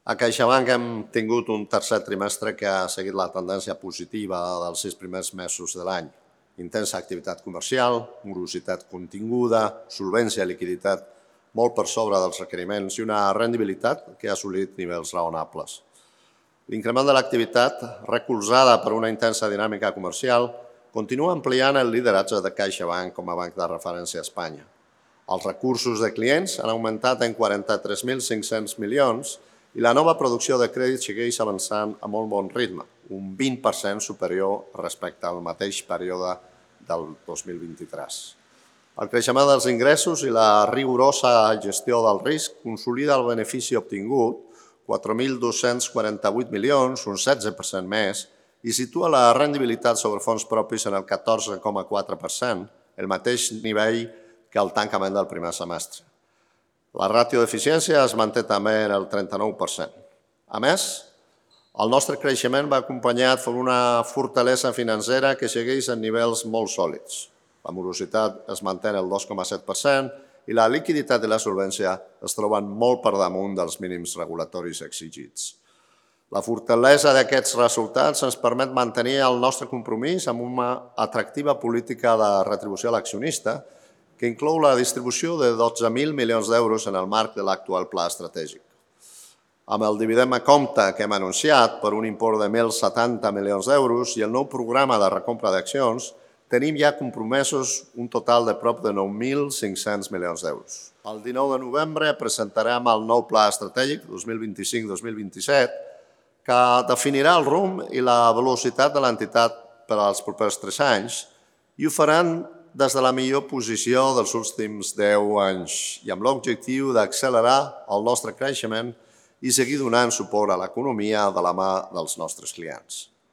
A CaixaBank hem tingut un tercer trimestre que ha seguit la tendència positiva dels 6 primers mesos de l'any. Intensa activitat comercial, morositat continguda, solvència i liquiditat molt per sobre dels requeriments i una rendibilitat que ha assolit nivells raonables. L'increment de l'activitat, recolzada per una intensa dinàmica comercial, continua ampliant el lideratge de CaixaBank com a banc de referència a Espanya. Els recursos de clients han augmentat en 43.500 milions i la nova producció de crèdit segueix avançant a molt bon ritme, un 20% superior respecte al mateix període del 2023. El creixement dels ingressos i la rigorosa gestió del risc consolida el benefici obtingut, 4.248 milions, un 16% més, i situa la rendibilitat sobre fons propis en el 14,4%, el mateix nivell que el tancament del primer semestre. La ràtio d'eficiència es manté també en el 39%. A més, el nostre creixement va acompanyat per una fortalesa financera que segueix en nivells molt sòlids. La morositat es manté el 2,7% i la liquiditat i la solvència es troben molt per damunt dels mínims regulatoris exigits. La fortalesa d'aquests resultats ens permet mantenir el nostre compromís amb una atractiva política de retribució a l'accionista que inclou la distribució de 12.000 milions d'euros en el marc de l'actual pla estratègic. Amb el dividend a compte que hem anunciat per un import de 1.070 milions d'euros i el nou programa de recompra d'accions, tenim ja compromesos un total de prop de 9.500 milions d'euros. El 19 de novembre presentarem el nou pla estratègic 2025-2027 que definirà el rumb i la velocitat de l'entitat per als propers 3 anys i ho faran des de la millor posició dels últims 10 anys i amb l'objectiu d'accelerar el nostre creixement i seguir donant suport a l'economia de la mà dels nostres clients.